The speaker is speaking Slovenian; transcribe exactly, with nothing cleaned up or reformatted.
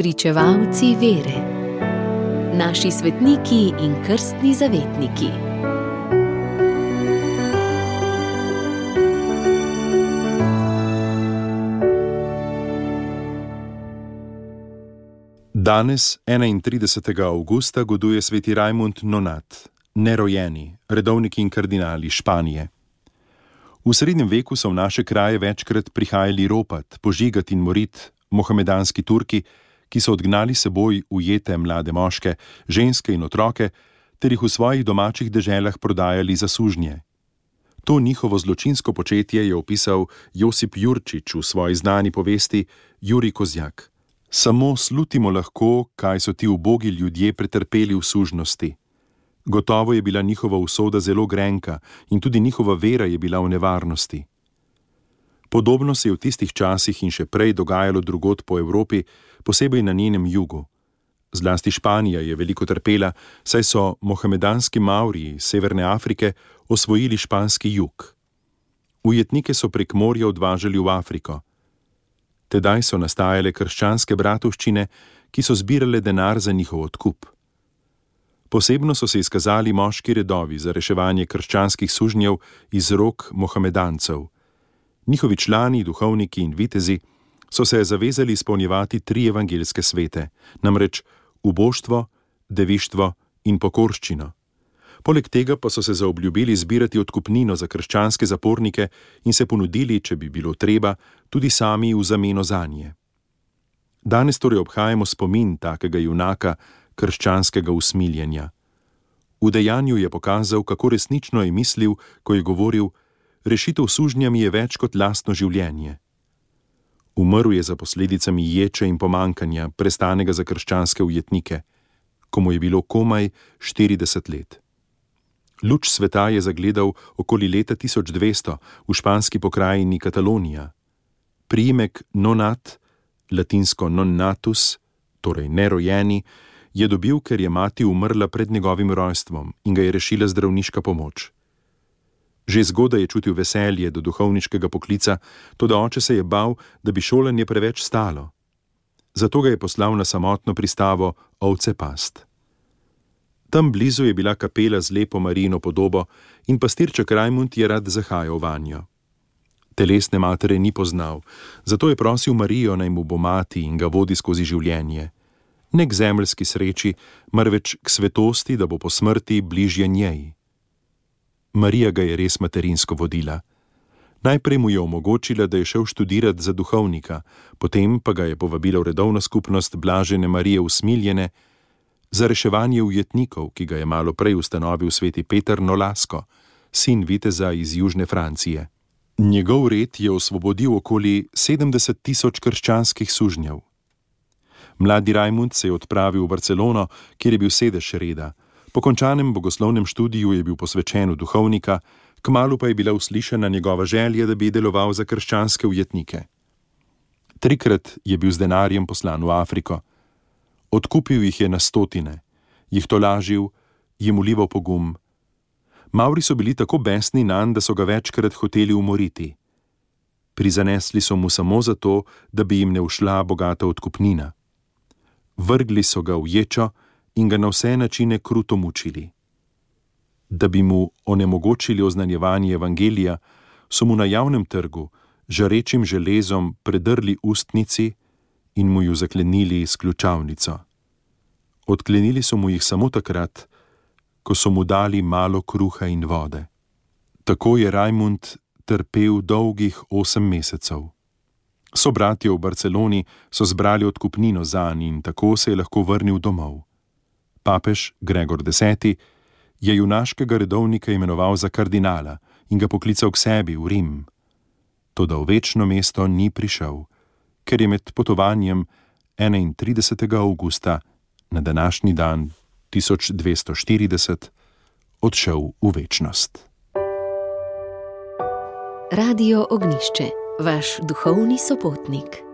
Spričevalci vere. Naši svetniki in krstni zavetniki. Danes, enaintridesetega avgusta, goduje sveti Rajmund Nonat, nerojeni, redovnik in kardinal iz Španije. V srednjem veku so v naše kraje večkrat prihajali ropat, požigat in morit mohamedanski Turki, ki so odgnali seboj ujete mlade moške, ženske in otroke, ter jih v svojih domačih deželah prodajali za sužnje. To njihovo zločinsko početje je opisal Josip Jurčič v svoji znani povesti Jurij Kozjak. Samo slutimo lahko, kaj so ti ubogi ljudje pretrpeli v sužnosti. Gotovo je bila njihova usoda zelo grenka in tudi njihova vera je bila v nevarnosti. Podobno se je v tistih časih in še prej dogajalo drugod po Evropi, posebej na njenem jugu. Zlasti Španija je veliko trpela, saj so mohamedanski Mavriji iz Severne Afrike osvojili španski jug. Ujetnike so prek morja odvažali v Afriko. Tedaj so nastajale krščanske bratovščine, ki so zbirale denar za njihov odkup. Posebno so se izkazali moški redovi za reševanje krščanskih sužnjev iz rok mohamedancev. Njihovi člani, duhovniki in vitezi so se zavezali izpolnjevati tri evangeljske svete, namreč uboštvo, devištvo in pokorščino. Poleg tega pa so se zaobljubili zbirati odkupnino za krščanske zapornike in se ponudili, če bi bilo treba, tudi sami v zameno zanje. Danes torej obhajamo spomin takega junaka krščanskega usmiljenja. V dejanju je pokazal, kako resnično je mislil, ko je govoril: rešitev sužnjami je več kot lastno življenje. Umrl je za posledicami ječe in pomankanja, prestanega za krščanske ujetnike, ko mu je bilo komaj štirideset let. Luč sveta je zagledal okoli leta tisoč dvesto v španski pokrajini Katalonija. Priimek Nonat, latinsko non natus, torej nerojeni, je dobil, ker je mati umrla pred njegovim rojstvom in ga je rešila zdravniška pomoč. Že zgodaj je čutil veselje do duhovniškega poklica, toda oče se je bal, da bi šolanje preveč stalo. Zato ga je poslal na samotno pristavo ovce past. Tam blizu je bila kapela z lepo Marijino podobo in pastirček Rajmund je rad zahajal vanjo. Telesne matere ni poznal, zato je prosil Marijo, naj mu bo mati in ga vodi skozi življenje. Ne k zemeljski sreči, marveč k svetosti, da bo po smrti bližje njej. Marija ga je res materinsko vodila. Najprej mu je omogočila, da je šel študirat za duhovnika, potem pa ga je povabila v redovno skupnost Blažene Marije Usmiljene za reševanje ujetnikov, ki ga je malo prej ustanovil sveti Peter Nolasco, sin viteza iz južne Francije. Njegov red je osvobodil okoli sedemdeset tisoč krščanskih sužnjev. Mladi Rajmund se je odpravil v Barcelono, kjer je bil sedež reda. Po končanem bogoslovnem študiju je bil posvečen v duhovnika, kmalu pa je bila uslišana njegova želja, da bi deloval za krščanske ujetnike. Trikrat je bil z denarjem poslan v Afriko. Odkupil jih je na stotine, jih tolažil, jim ulival pogum. Mavri so bili tako besni nanj, da so ga večkrat hoteli umoriti. Prizanesli so mu samo zato, da bi jim ne ušla bogata odkupnina. Vrgli so ga v ječo in ga na vse načine kruto mučili. Da bi mu onemogočili oznanjevanje evangelija, so mu na javnem trgu žarečim železom predrli ustnici in mu ju zaklenili s ključavnico. Odklenili so mu jih samo takrat, ko so mu dali malo kruha in vode. Tako je Rajmund trpel dolgih osem mesecev. Sobratje v Barceloni so zbrali odkupnino zanj in tako se je lahko vrnil domov. Papež Gregor deseti je junaškega redovnika imenoval za kardinala in ga poklical k sebi v Rim. Toda v večno mesto ni prišel, ker je med potovanjem enaintridesetega avgusta na današnji dan tisoč dvesto štirideset odšel v večnost. Radio Ognjišče, vaš duhovni sopotnik.